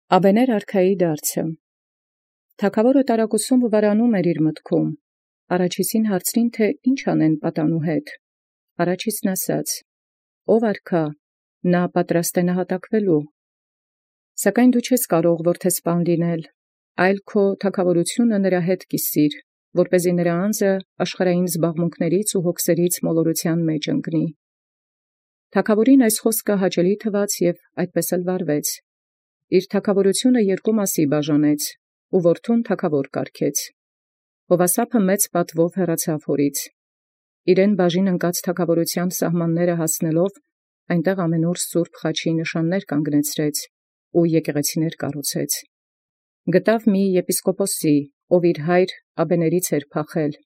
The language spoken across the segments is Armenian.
Աբեներ արքայի դարձը։ Թագաւորը տարակուսում վարանում իր մտքում։ Առաջիսին հարցրին, թե ինչ անեն պատանու հետ։ Առաջիսն ասաց. Ով արքա, նա պատրաստ է նահատակվելու։ Սակայն դու չես կարող որդեսպան լինել, այլ քո թագաւորութիւնը նրա հետ կիսիր, որպեսզի նրա անձը աշխարհային զբաղմունքներից ու հոգսերից մոլորութեան մեջ ընկնի։ Թագաւորին այս խոսքը հաճելի թվաց և այդպես էլ վարվեց։ Իր թագաւորութիւնը երկու մասի բաժանեց, ու որդուն թագաւոր կարգեց։ Հովասափը մեծ պատվով հեռացավ հորից։ Իրեն բաժին ընկած թագաւորութեան սահմանները հասնելով, այնտեղ ամենուր սուրբ խաչի նշաններ կանգնեցրեց ու եկեղեցիներ կառուցեց։ Գտավ մի եպիսկոպոսի, ով իր հայր Աբեներից էր փախել,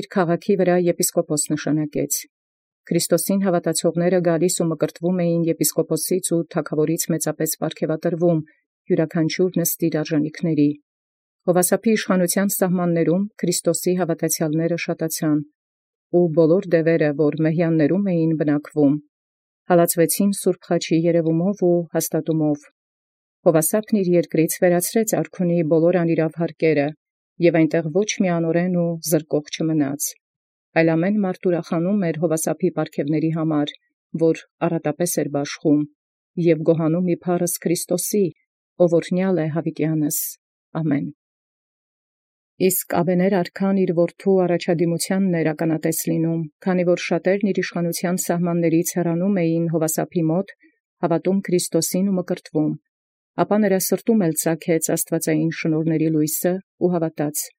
իր քաղաքի վրա եպիսկոպոս նշանակեց։ Քրիստոսին հաւատացողները գալիս ու մկրտվում էին եպիսկոպոսից ու թագաւորից մեծապես պարգևատրվում, յուրաքանչյուր նստիր արժանիքների։ Հովասափի իշխանութեան սահմաններում Քրիստոսի հաւատացեալները շատացան, ու բոլոր դևերը, որ մեհյաններում էին բնակվում, հալածվեցին սուրբ խաչի երևումով ու հաստատումով։ Հովասափն իր երկրից վերացրեց արքունի բոլոր անիրաւ հարկերը, և այնտեղ ոչ մի անօրեն ու զրկող չմնաց, այլ ամեն մարդ ուրախանում էր Հովասափի պարգևների համար, որ առատապես էր բաշխում, և գոհանում իբարս Քրիստոսի, ով օրհնյալ է յաւիտեանս. ամեն։ Իսկ Աբեներ արքան իր որդու առաջադիմութեանն էր ականատես լինում, քանի որ շատերն իր իշխանութեան սահմաններից հեռանում էին Հովասափի մոտ, հաւատում Քրիստոսին ու մկրտվում, ապա նրա սրտում էլ ծագեց աստուածային շնորհների լույսը ու հաւատաց։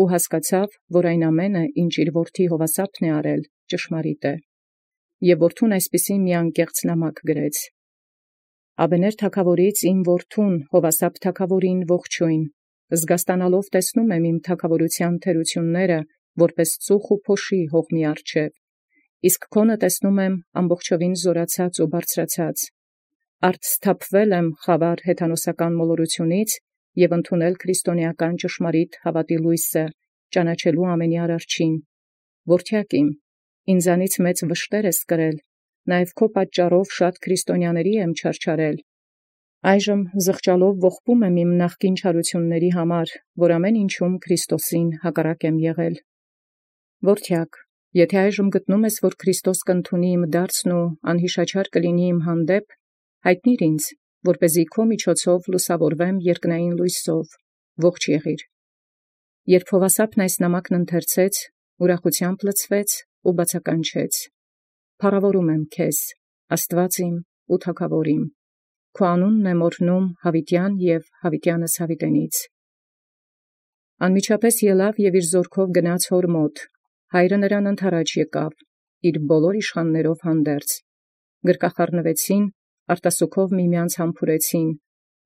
Ու հասկացավ, որ այն ամենը, ինչ իր որդի Հովասափն է արել, ճշմարիտ է։ Եւ որդուն այսպիսի մի անկեղծ նամակ գրեց. Աբեներ թագաւորից իմ որդուն Հովասափ թագաւորին ողջոյն, զգաստանալով տեսնում իմ թագաւորութեան թերությունները, որպէս ծուխ ու փոշի հողմի առջև, իսկ քոնը տեսնում ամբողջովին զորացած ու բարձրացած։ Արդ սթափվել խավար հեթանոսական մոլորութիւնից և ընդունել քրիստոնեական ճշմարիտ հաւատի լույսը, ճանաչելու ամենի արարչին։ Որդեակ իմ, ինձանից մեծ վշտեր ես կրել, նաև քո պատճառով շատ քրիստոնյաների եմ չարչարել։ Այժմ զղջալով ողբում իմ նախկին չարությունների համար, որ ամեն ինչում Քրիստոսին հակառակ եմ եղել։ Որդեակ, եթե այժմ գտնում ես, որ Քրիստոս կընդունի իմ դարձն ու անհիշաչար կլինի իմ հանդեպ, հայտնիր ինձ, որպեսզի քո միջոցով լուսավորվեմ երկնային լույսով, ողջ եղիր։ Երբ Հովասափն այս նամակն ընթերցեց, ուրախութեամբ լցվեց ու բացականչեց. Փառաւորում եմ քեզ, Աստուած իմ ու թագաւոր իմ, քո անունն եմ օրհնում յաւիտեան և յաւիտեանս յաւիտենից։ Անմիջապես ելավ և իր զորքով գնաց հոր մոտ, հայրը նրան ընդառաջ եկավ, իր բոլոր իշխաններով հանդերձ, գրկախառնվեցին, արտասուքով միմեանց համբուրեցին,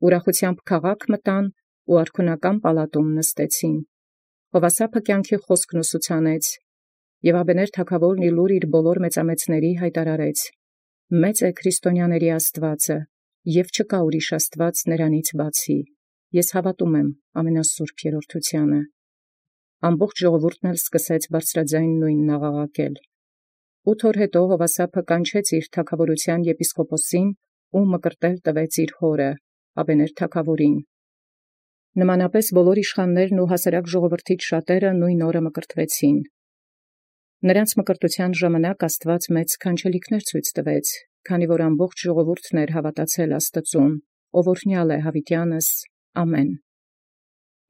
ուրախութեամբ քաղաք մտան ու արքունական պալատում նստեցին։ Հովասափը կյանքի խոսքն ուսուցանեց, և Աբեներ թագաւորն իլուր իր բոլոր մեծամեծների հայտարարեց. մեծ է քրիստոնյաների Աստուածը, և չկա ուրիշ Աստուած նրանից բացի, ես հաւատում եմ ամենասուրբ երրորդութեանը։ Ամբողջ ժողովուրդն էլ սկսեց բարձրաձայն նույնն աղաղակել։ 8 օր հետո Հովասափը կանչեց իր թագաւորութեան եպիսկոպոսին ու մկրտել տվեց իր հորը, Աբեներ թագաւորին։ Նմանապես բոլոր իշխաններն ու հասարակ ժողովրդից շատերը նույն օրը մկրտվեցին։ Նրանց մկրտութեան ժամանակ Աստուած մեծ քանչելիքներ ցույց տվեց, քանի որ ամբողջ ժողովուրդն էր հաւատացել Աստծուն, ով օրհնյալ է յաւիտեանս. ամեն։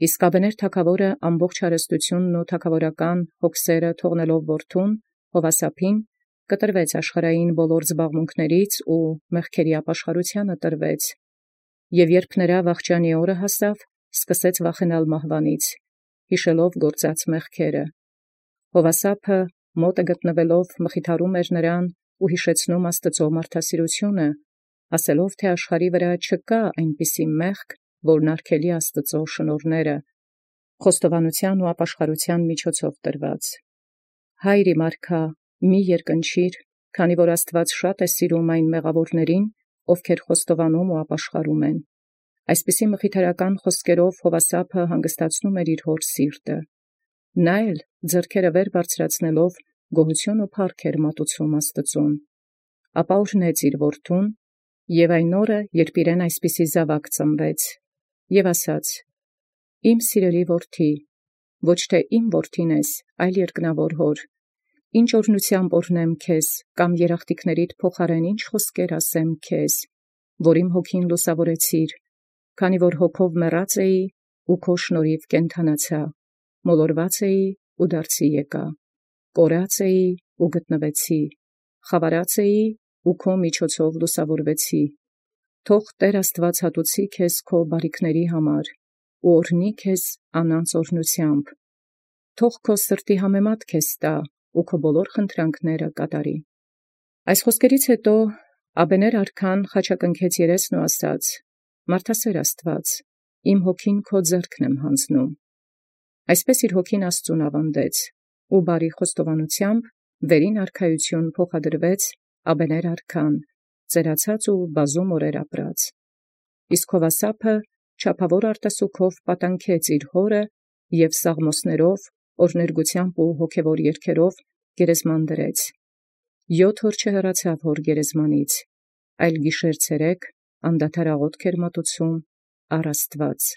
Իսկ Աբեներ թագաւորը ամբողջ հարստութիւնն ու թագաւորական հոգսերը թողնելով որդուն, Հովասափին, կտրվեց աշխարհային բոլոր զբաղմունքներից ու մեղքերի ապաշխարութեանը տրվեց, և երբ նրա վախճանի օրը հասավ, սկսեց վախենալ մահվանից, յիշելով գործած մեղքերը։ Հովասափը մոտը գտնվելով մխիթարում էր նրան ու յիշեցնում Աստուծոյ մարդասիրութիւնը, ասելով, թե աշխարհի վրա չկա այնպիսի մեղք, որն արգելի Աստուծոյ շնորհները, խոստովանութեան ու ապաշխարութեան միջոցով տրված։ Հայր իմ արքա, մի երկնչիր, քանի որ Աստուած շատ է սիրում այն մեղաւորներին, ովքեր խոստովանում ու ապաշխարում են։ Այսպիսի մխիթարական խոսքերով Հովասափը հանգստացնում էր իր հոր սիրտը։ Նա էլ ձեռքերը վեր բարձրացնելով գոհութիւն ու փառք էր մատուցում Աստուծուն։ Ապա օրհնեց իր որդուն Եւ այն օրը, երբ իրեն այսպիսի զաւակ ծնվեց, եւ ասաց. «Իմ սիրելի որդի, ոչ թե իմ որդին ես, այլ երկնավոր հոր, ինչ օրհնութեամբ օրհնեմ քեզ, կամ երախտիկներիդ փոխարեն ինչ խոսքեր ասեմ քեզ, որ իմ հոգին լուսավորեցիր, քանի որ հոգով մեռած էի, ու քո շնորհիվ կենթանացա, մոլորված էի ու դարձի եկա, կորած էի ու գտնվեցի, խավարած էի ու քո միջոցով լուսավորվեցի։ Թող Տէր Աստուած հատուցի քեզ քո բարիքների համար, ու օրհնի քեզ անանց օրհնութեամբ։ Թող քո սրտի համեմատ քեզ տա, ու քո բոլոր խնդրանքները կատարի»։ Այս խոսքերից յետո Աբեներ արքան խաչակնքեց երեսն ու ասաց. «Մարդասեր Աստուած, իմ հոգին քո ձեռքն եմ յանձնում»։ Այսպէս իր հոգին Աստուծոյ աւանդեց, ու բարի խոստովանութեամբ վերին արքայութիւն փոխադրվեց Աբեներ արքան, ծերացած ու բազում օրեր ապրած։ Իսկ Յովասափը չափավոր արտասուքով պատանքեց իր հորը և սաղմոսներով, օրհներգութեամբ ու հոգևոր երգերով գերեզման դրեց։ 7 օր չհեռացավ հոր գերեզմանից, այլ գիշեր ցերեկ անդադար աղոթք էր մատուցում առ Աստուած։